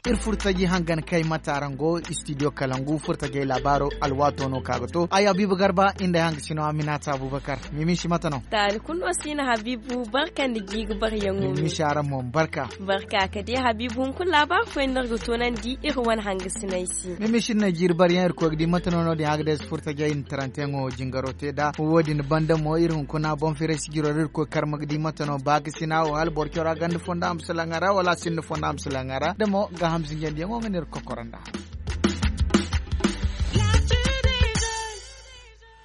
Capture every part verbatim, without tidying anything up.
Iri furtaji hangan kay mate araŋ go istidiyo kalangu furtajey laabaaro alwaato no ka ga to ay habiibu garba inda ay hangasino aminata abubakar. Mimiisi mate no? Taali kulu no si na habiibu barka nda jiiri baryaŋo. Mimiisi araŋ mo ma barka. Barka ka di habiibu hunkuna laabaaro fooyaŋ no iri ga toonandi iri wane hangasiney se. Mimiisi iri na jiiri baryaŋ iri koy ga di mate no no- din agades furtajey nda taranteyaŋo jingaro te nd'a wo- din banda mo iri hunkuna boŋ firay sijiro ra iri koy karma ga di mate no baakasina wo hala boro cora ganda fondo a ma salaŋ a ra wala a sinda fondo a ma salaŋ a ra da mo gaaham zinjandiyaŋo nga no iri ga kokoro nd'a.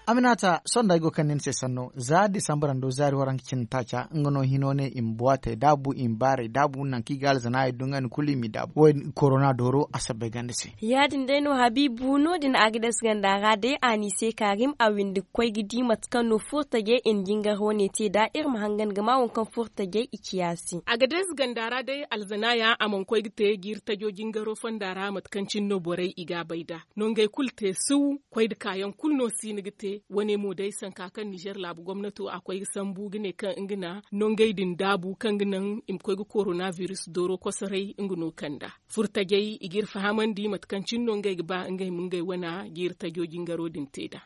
Aminata sohõ da ay go kaŋ ni ni se sanno za disambara nda zaari waranka cindi taaca nga no hino ne i ma buwaatey daabu i ma baarey daabu nangu kaŋ i ga alzanaayey du nga ni kulu i m'i daabu wo- din korona dooro a sabbay ganda se. Ya- din day no habiibu no- din agades ganda ra day a n'i se kaarim a windi ga koy ga di mate kaŋ no furtajey i na jingar wane te nd'a iri ma hangan ga ma waŋ kaŋ furtajey i ciya se. Agades ganda ra day alzanaaya a mana koy ga te jiiri tajo jingaro fonda ra mate kaŋ cine no borey i ga a bay nd'a. Nongey kulu te siw koy nda kaayaŋ kulu no si ni ga te wane mo day sanka kaŋ nizer laabu gomnato a koy ga sambu ga ne kaŋ nga na nongey din daabu kaŋ ga naŋ i ma koy ga korona biris dooro kosoray nga no kand'a. Furtajey i g'iri fahamandi mate kaŋ cine no ngey ga ba ngey ma ngey wana jiiri tajo jingaro din te nd'a.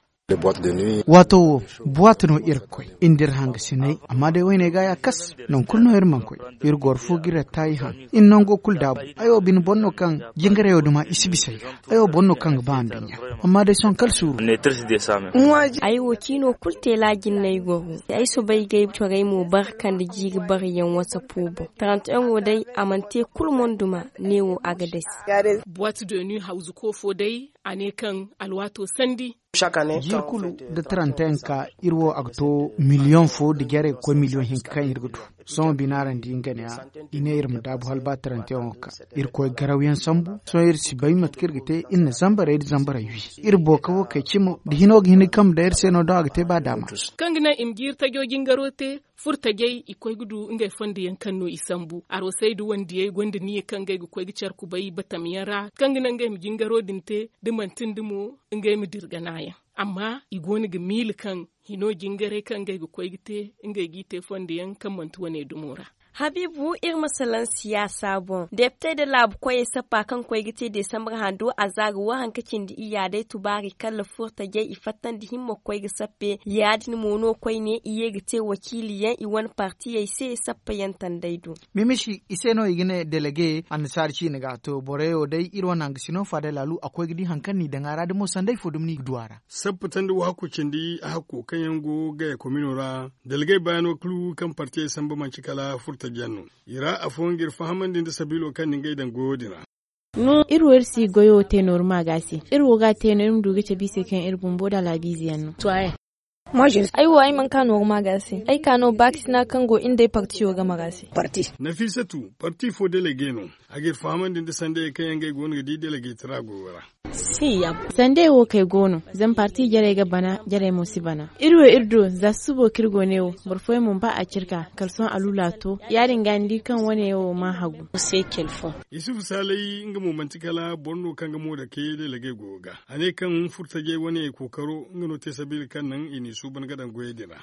Waato wo buwaati no iri ga koy iri nda iri hangasiney amma day wayney ga ya kas nangu kulu no iri mana koy. Iri goro fu ga iri attaayi haŋ iri nango kulu daabu. Ay wo bine boro no kaŋ jingarayo duma i si bisa ay ga. Ay wo boro no kaŋ ga ba anduɲɲa amma day sohõ kala suuru. Ay wo ciino kulu teela jinne ay goro. Ay soobay ga ay corey mo barka nda jiiri baryaŋ wasapo boŋ taranteyaŋo day a mana te kulu monduma neewo agades. Buwaati dooni hawzuko fo day a ne kaŋ alwaato sandi. Jiiri kulu da taranteyaŋ ka iri wo a ga to miliyoŋ fo nda jarey ga koy miliyoŋ hinka kaŋ iri ga du. Sohõ bina ra ni di nga ne a i ne iri ma daabu hala ba taranteyaŋo ga ka. Iri koy garawyaŋ sambu sohõ iri si bay mate kaŋ iri ga te. Iri na zambarey nda zambarey wi iri booka wo kay cimo nda hino ga hin ga kambe day iri se no doŋ a ga te ba daama. Kaŋ ga naŋ i ma jiiri tajo jingaro te furtajey i koy ga du ngey fondo yaŋ kaŋ no i sambu arosey nda wandiyey gonda niya kaŋ ngey ga koy ga care kubay batam yaŋ ra kaŋ ga naŋ ngey ma jingaro din te da manti nda mo ngey ma dira ganayaŋ. Amma i go no ga miila kaŋ hino jingaray kaŋ ngey ga koy ga te ngey g'i te fondo yaŋ kaŋ manti wane dumo ra. Habiibu iri ma salaŋ siyaasa boŋ depite nda laabu koyey sappa kaŋ koy ga te desambar hando a za ga waranka cindi iyya day tubaari kala furtajey i fattandi himma ga koy ga sappe ya- din mo no koyne i ye ga te wakiiliyaŋ i wane partiyey se sappayaŋ tandey do. Mimisi i se no i ga ne delege annasaari ciine ga to borey wo day iri wane hangasino faada laalu a koy ga di hari kaŋ n'i daŋ a ra da mo sanday fo dumi no i ga du a ra. Sappa tandi wo hakku cindi a hakko kaŋ yaŋ go gaya komino ra. Dalgay bayaano kulu kaŋ partiyey samba manci kala furtajiyaŋ no. I ra afooyaŋ ga iri fahamandi nda sabiilo kaŋ na ngey daŋ goyo din ra. Iri wo iri si goyo te nooru maaga se. Iri wo ga a te no iri ma du ga cabe i se kaŋ iri bumbo nda alaabiize yaŋ no. Ay wo ay mana ka nooru maaga se ay ka no baakasina kaŋ go iri nd'ay partiyo game ra se. Nafiisatu parti fo delege no. A ga iri fahamandi nda sandayey kaŋ yaŋ ngey go no ga di delegetara goyo ra. Sandey wo kay go no zama parti jarey ga bana jarey mo si bana. Iri wo iri do za susubo kaŋ iri go ne wo boro fooyaŋ mana ba a cire ka kala sohõ aluula to ya- din ga ni di kaŋ wane wo mana hagu. Isufu saalay nga mo manti kala boro no kaŋ ga mo dake delege goyo ga. A ne kaŋ furtajey wane kookaro nga no te sabiila kaŋ naŋ i n'i suuban ga daŋ goyey din ra.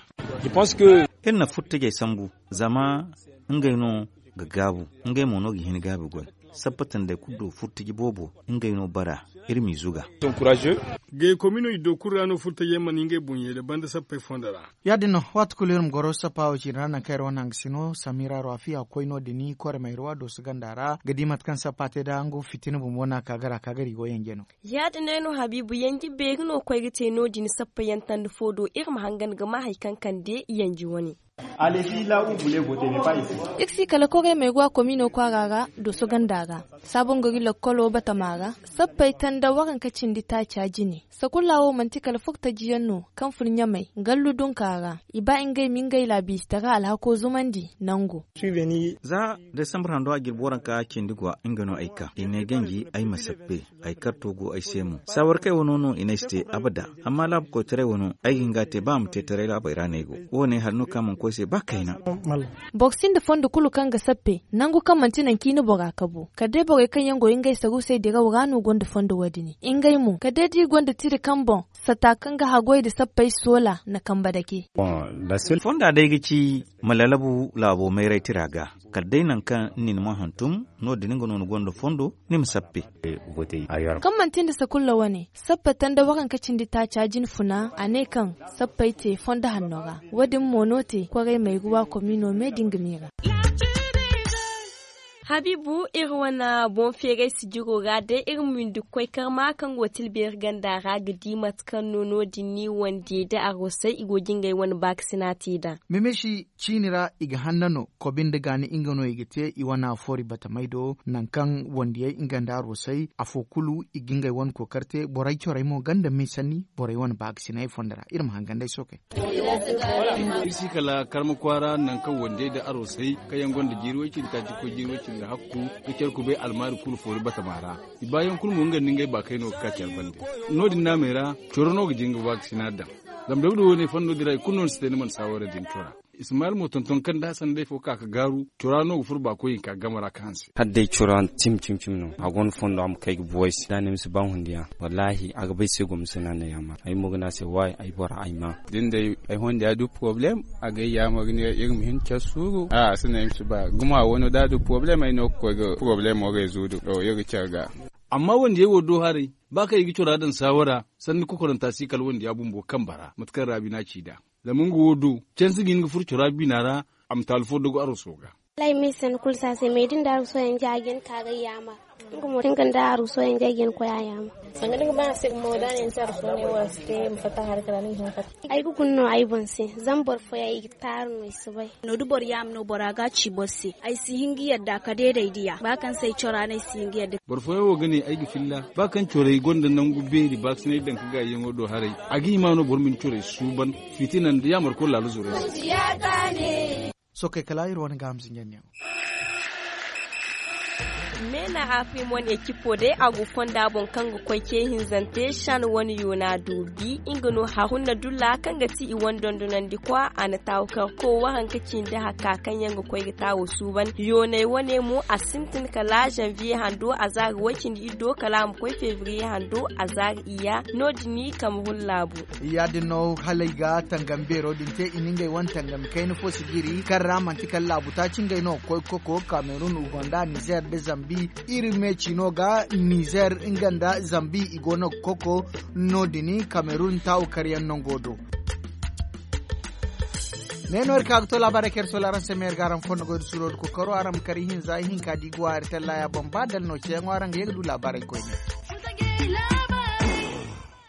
Iri na furtajey sambu zama ngey no ga gaabu. Ngey mo no ga hin gaabi goy. Sappa tandey kulu do furtaji boobo ngey no bara. Iri m'i zuga. Gay komino iddo kulu ra no furtajey mana ngey boŋ ye da banda sappey fondo ra. Ya- din no waati kulu iri ma goro sappa wo ciine ra nangu kaŋ iri wane hangasino samira raafiya koy no- din korey ma iri wa dooso ganda ra ga di mate kaŋ sappa te nda nga fitina bumbo no a ka gara ka gara i go yanje no. Ya- din day no habiibu yanji beeri no koy ga te no- din sappa yaŋ tanda fo do iri ma hangan ga ma hari kaŋ kande yanji wane. Iri si kala koray ma ay go a komino kwaara ra dooso ganda ra. Saabon gari lakkolo batama ra sappey tanda waranka cindi taaca jine. Sakulla wo manti kala furtaji yaŋ no kaŋ fun ɲamay gallu dunka ra. I ba ngey ma ngey laabiisitara alhako zumandi nango. Za desambar hando a jirbi waranka cindi gwa nga no ay ka i ne ganji ay ma sappe. Ay karto go ay se mo saawar kay wano no i ne ay si te abada. Amma laabu koytaray wano ay ga hin ga a te ba a ma te taray laabey ra no ay go. Wo- ne hari no kaŋ a mana koy se ba kayna. Boro sinda fondo kulu kaŋ ga sappe nangu kaŋ manti nangu kaŋ i na bora kabu kala day borey kaŋ yaŋ go ngey sarusey diraw ra no gonda fondo wo- din. Ngey mo kala day da i gonda tira kaŋ boŋ sata kaŋ ga haggoy nda sappey soola na kambe dake. Fonda day ga ci ma lalabu laabo mayray tira ga. kala day nangu kaŋ ni na man hantum, no- din nga no ni gonda fondo ni ma sappe. Kaŋ manti nda sakulla wane sappey tanda waranka cindi taaca jinfuna a ne kaŋ sappey te fondo hanno ra. Wo- din mo no te kwaray mayruwa komiino me din ga miira. Habiibu, iri wane boŋ feeray sijiro ra day iri ma windi ga koy karma kaŋ go tilbeeri ganda ra ga di mate kaŋ no no- din ni wandiyey da arosey i go ga ngey wane baakasina te nd'a. Ciini ra i ga hanna no kobi nda gaani nga no i ga te i wana foori batamey do nangu kaŋ wandiyey nga nda arosey afo kulu i ga ngey wane kookari te borey corey mo ganda miisanni borey wane baakasinay fondo ra iri ma hangan day sookey. Iri si kala karma kwaara nangu kaŋ wandiyey nda arosey kaŋ yaŋ gonda jiiri way-cindi taaci koy jiiri way-cindi hakku ga care kubay almaari kulu foori batama ra. I baayaŋ kulu mo nga nda ngey baakey no ga ka care bande. No- din naamey ra coro no ga jin ga baakasina daŋ. Zama dawda wo ne fondo din ra i kulu no ni si te ni mana saawara din cora. Ismail mo tonton kaŋ da hassan day fo ka ga gaaru cora no ga furo ba koy hinka game ra ka hanse. Hala day cora cim cim cim no a gonda fondo a ma kay ga buway se da a ne ma si ba hundiya. Wallaahi a ga bay se gomna se no a na yaamar ay mo ga ne a se waay ay bora ay ma. Da ni day ay hundiya du poroblem a ga ay yaamar ga ne iri ma hin care suuru a si ne ay ma si ba guma wano da a du poroblem ay no ga koy ga poroblemo rezudu iri ga care ga. Amma wandiyey wo do haray ba kaŋ i ga cora daŋ saawara sanni kokoranta si kala wandiya bumbo kambe ra mate kaŋ raabi no a ci nd'a. Zama nga wo do cansi ga hin ga furo cora biina ra a ma taalu fo dogo aroso ga. Wallaahi ma ay sanni kulu si a se me da ni da aroso yaŋ ja a ga hin ka ga ay yaamar. Nga mo da nga nda aroso yaŋ ja ay ga hin ga koy a yaamar. Sanga da ni ga ba a se gumo da a ne ni se aroso ne wo a si te ma fatta hari kala ni ga hin ga fatta. Ay ga guna no ay boŋ se zama boro fooyaŋ i ga taaru no i si bay. No da boro yaama no bora ga a ci boro se ay si hin ga yadda ka deeday diya ba kaŋ se ay cora no ay si hin ga yadda. Boro fooyaŋ wo ga ne ay ga filla ba kaŋ corey gonda nangu beeri baakasinay daŋ ka gaayiyaŋo do haray. A ga hima no boro ma ni corey suuban fitina nda yaamar koy laala zurey se. Sookey kala iri wane gaaham zinjandiyaŋo. Meena afrimon ekipo day a go fonda boŋ kaŋ ga koy ce hinzante shan wane yoona doobi nga no haruna dulla kaŋ ga ti i wane dondonandi kwa a na taawu karko waranka cindi hakka kaŋ yaŋ ga koy ga taawo suuban yooney wane mo a sintin kala zanviye hando a zaari way-cindi iddo kala a ma koy febriye hando a zaari iyya no- din kamerun laabu. Ya- din no hala ay ga tangam beero din te i na ngey wane tangami kayna fo si jiri kaŋ ra manti kala laabu taaci ngey no ga koy ga koko kamerun uganda nizer nda zambi. Iri me ciino ga nizer nga nda zambi i go no ga koko no- din kamerun taawu karyaŋ nango do. Ne no iri ka ga to laabaarey kaŋ iri soola araŋ se me iri ga araŋ fondo goy da suuro da kokoro araŋ ma kar ihinza ihinka da i go a iri tallaya boŋ ba dala no ceeyaŋo araŋ ga ye ga du laabaarey koyne.